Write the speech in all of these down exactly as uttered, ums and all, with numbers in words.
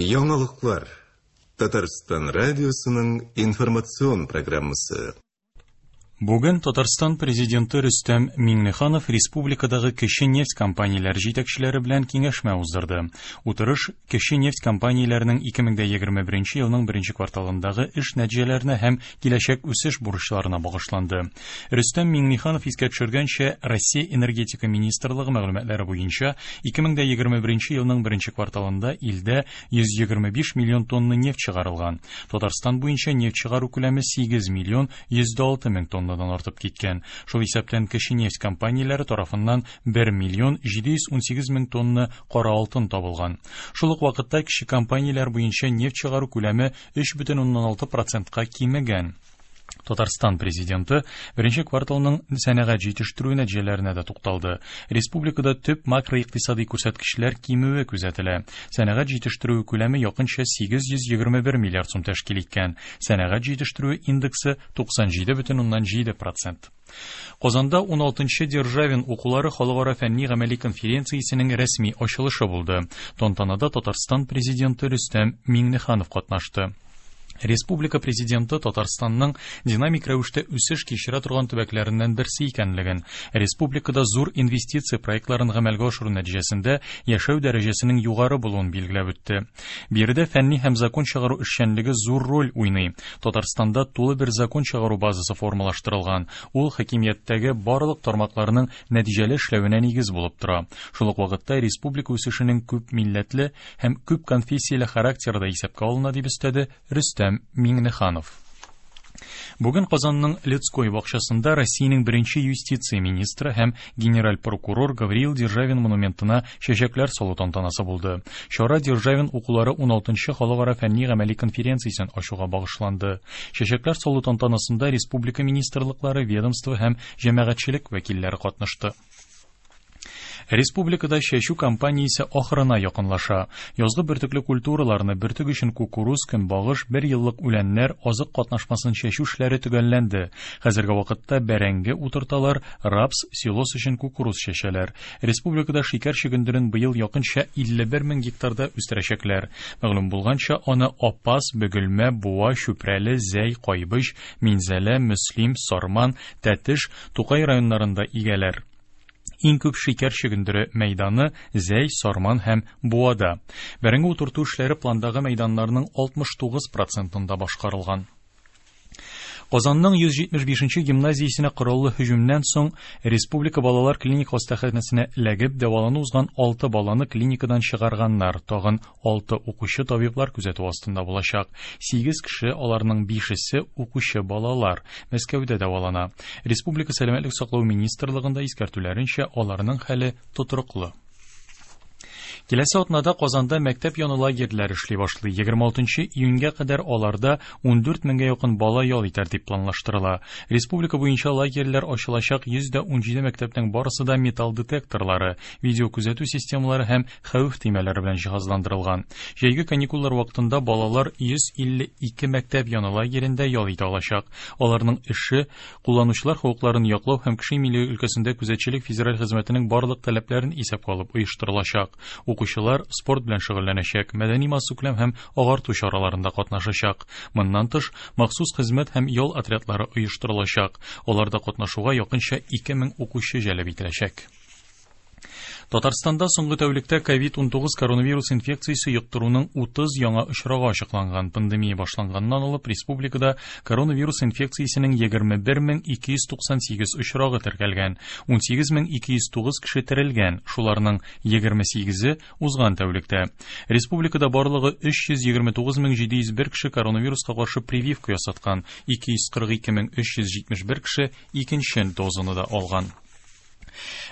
Яңалыклар. Татарстан радиосының информацион программасы. Бүген Татарстан президенты Рөстәм Миңнеханов республикадагы кече нефть компанияләре җитәкчеләре белән киңәшмә уздырды. Утырыш кече нефть компанияләренең ике мең егерме беренче елның беренче кварталындагы эш нәтиҗәләренә һәм киләчәк үсеш бурычларына багышланды. Рөстәм Миңнеханов искә төшергәнчә, Россия энергетика министрлыгы мәгълүматлары буенча ике мең егерме беренче елның беренче кварталында илдә йөз егерме биш миллион тонна нефть чыгарылган. Татарстан буенча нефть чыгару күләме сигез миллион йөз дә алты мең тонна артып киткән. Шул исәптән кече нефть компанияләре тарафыннан бер миллион җиде йөз унсигез мең тонна кара алтын табылган. Шул ук вакытта кече компанияләр буенча нефть чыгару күләме өч бөтен уннан алты процентка кимегән. Татарстан президенты беренче кварталның сәнәгать җитештерү нәтиҗәләренә дә тукталды. Республикада төп макроикътисади күрсәткечләр кимүе күзәтелә. Сәнәгать җитештерү күләме якынча сигез йөз егерме бер миллиард сум тәшкил иткән. Сәнәгать җитештерү индексы туксан җиде бөтен уннан җиде процент. Казанда ун алтынчы Державин укулары халыкара фәнни гамәли конференциясенең рәсми ачылышы булды. Тантанада Татарстан президенты Рөстәм Миңнеханов катнашты. Республика президенты Татарстанның динамик рәвештә үсеш кичерә торган төбәкләреннән берсе икәнлеген, республикада зур инвестиция проектларын гамәлгә ашыру нәтиҗәсендә яшәү дәрәҗәсенең югары булуын билгеләп үтте. Биредә фәнни һәм закон чыгару эшчәнлеге зур роль уйный. Татарстанда тулы бер закон чыгару базасы формалаштырылган. Ул хакимияттәге барлык тармакларның нәтиҗәле эшләвенә нигез булып тора. Шул ук вакытта республика үсешенең күп милләтле һәм күп конфессияле характеры да исәпкә алына, дип өстәде Рөстәм Миңнеханов. Бүген Казанның Людской бакчасында Россиянең беренче юстиция министры һәм генераль прокурор Гавриил Державин монументына чәчәкләр салу тантанасы булды. Чара Державин укулары ун алтынчы халыкара фәнни гамәли конференциясен ачуга багышланды. Чәчәкләр салу тантанасында республика министрлыклары, ведомство һәм җәмәгатьчелек вәкилләре катнашты. Республикада чәчү кампаниясе ахырына якынлаша. Язгы бөртекле культураларны бөртек өчен кукуруз, көнбагыш, бер еллык үләннәр, азык катнашмасын чәчү эшләре төгәлләнде. Хәзерге вакытта бәрәңге утырталар, рапс, силос өчен кукуруз чәчәләр. Республикада шикәр чөгендерен быел якынча илле бер мең гектарда үстерәчәкләр. Мәгълүм булганча, аны Апас, Бөгелмә, Буа, Чүпрәле, Зәй, Кайбыч, Минзәлә, Мөслим, Сарман, Тәтеш, Тукай районнарында игәләр. Иң күп шикәр чөгендере мәйданы Зәй, Сарман һәм Буада. Бәрәңге утырту эшләре пландагы мәйданнарның алтмыш тугыз процентында башкарылган. Казанның йөз җитмеш бишенче гимназиясенә кораллы һөҗүмнән соң Республика балалар клиник хастаханәсенә эләгеп дәвалану узган алты баланы клиникадан чыгарганнар. Тагын алты укучы табиблар күзәтү астында булачак. Сигез кеше, аларның бишесе укучы балалар, Мәскәүдә дәвалана. Республика сәламәтлек саклау министрлыгында искәртүләренчә, аларның хәле тотрыклы. Киләсе атнада Казанда мәктәп яны лагерьләре эшли башлый. Егерме алтынчы июньгә кадәр аларда ундүрт меңгә якын бала ял итәр дип планлаштырыла. Республика буенча лагерьләр ачылачак йөз дә унҗиде мәктәпнең барысы да металл детекторлары, видеокүзәтү системалары һәм хәвеф төймәләре белән җиһазландырылган. Җәйге каникуллар вакытында балалар йөз илле ике мәктәп яны лагерендә ял итә алачак. Аларның эше кулланучылар хокукларын яклау һәм кеше иминлеге өлкәсендә күзәтчелек федераль хезмәтенең барлык таләпләрен исәпкә алып оештырылачак. Укучылар спорт белән шөгыльләнәчәк, мәдәни массакүләм һәм агарту чараларында катнашачак. Моннан тыш, махсус хезмәт һәм ял отрядлары оештырылачак. Аларда катнашуга якынча ике мең укучы җәлеп ителәчәк. Татарстанда соңгы тәүлектә ковид унтугыз коронавирус инфекциясе йоктыруның утыз яңа очрагы ачыкланган. Пандемия башланганнан алып республикада коронавирус инфекциясенең егерме бер мең ике йөз туксан сигез очрагы теркәлгән. Унсигез мең ике йөз тугыз кеше терелгән, шуларның егерме сигезе узган тәүлектә. Республикада барлыгы өч йөз егерме тугыз мең җиде йөз бер кеше коронавируска каршы прививка ясаткан, ике йөз кырык ике мең өч йөз җитмеш бер кеше икенче дозаны да алган.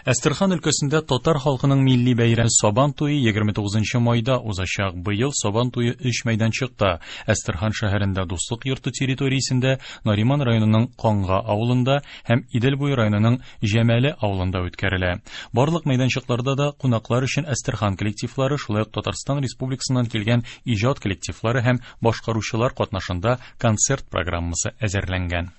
Әстерхан өлкәсендә татар халкының милли бәйрәме Сабан туе егерме тугызынчы майда узачак. Быел Сабан туе өч мәйданчыкта: Әстерхан шәһәрендә Дуслык йорты территориясендә, Нариман районының Канга авылында һәм Идел буе районының Җәмәле авылында үткәрелә. Барлык мәйданчыкларда да кунаклар өчен Әстерхан коллективлары, шулай ук Татарстан Республикасыннан килгән иҗат коллективлары һәм башкаручылар катнашында концерт программасы әзерләнгән.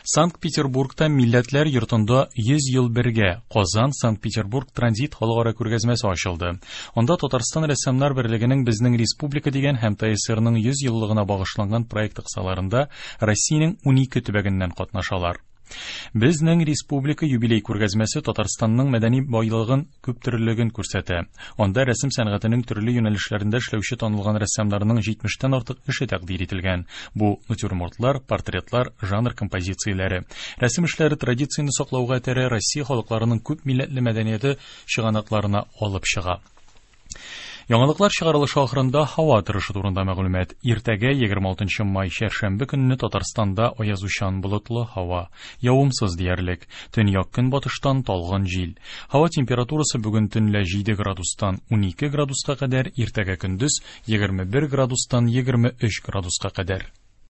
Санкт-Петербургта Милләтләр йортында йөз ел бергә Казан Санкт-Петербург транзит халыкара күргәзмәсе ачылды. Анда Татарстан рәссамнар берлегенең Безнең республика дигән һәм ТАССРның йөз еллыгына багышланган проекты кысаларында Россиянең унике төбәгеннән катнашалар. Безнең республика юбилей күргәзмәсе Татарстанның мәдәни байлыгын, күптөрлелеген күрсәтә. Анда рәсем сәнгатенең төрле юнәлешләрендә эшләүче танылган рәссамнарның җитмештән артык эше тәкъдир ителгән. Бу натюрмортлар, портретлар, жанр композицияләре. Рәсем эшләре традицияне саклауга этәрә, Россия халыкларының күп милләтле мәдәнияте чыганакларына алып чыга. Яңалыклар чыгарылышы ахырында һава торышы турында мәгълүмат. Иртәгә егерме алтынчы май чәршәмбе көнне Татарстанда аязучан болытлы һава, явымсыз диярлек. Төньяк көнбатыштан талгын җил. Һава температурасы бүген төнлә җиде градустан унике градуска кадәр, иртәгә көндез егерме бер градустан егерме өч градуска кадәр.